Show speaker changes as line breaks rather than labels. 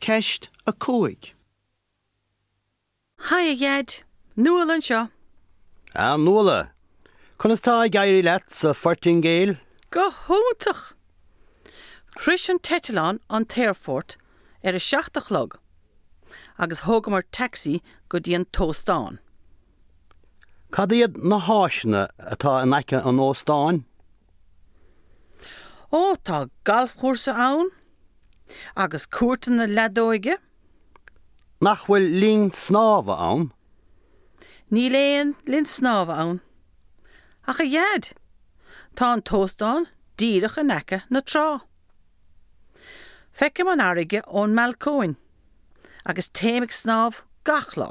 Ceist 5.
Haigh a Dhaid! Nuala anseo!
A Nuala! Conas tá ag éirí leat sa Phortaingéil?
Go hiontach! Shrois an t-eitleán an t-aerfort ar a 7 a chlog agus thógamar taxi go dtí an t-óstán.
Cad iad na háiseanna atá in aice an óstáin?
Ó, tá galfchúrsa ann agus cúirteanna leadóige.
Nach bhfuil linn snámha ann?
Níl aon linn snámha ann. Ach a Dhaid, tá an t-óstán díreach in aice na trá. Feicim an fharraige ón mbalcóin agus téim ag snámh gach lá.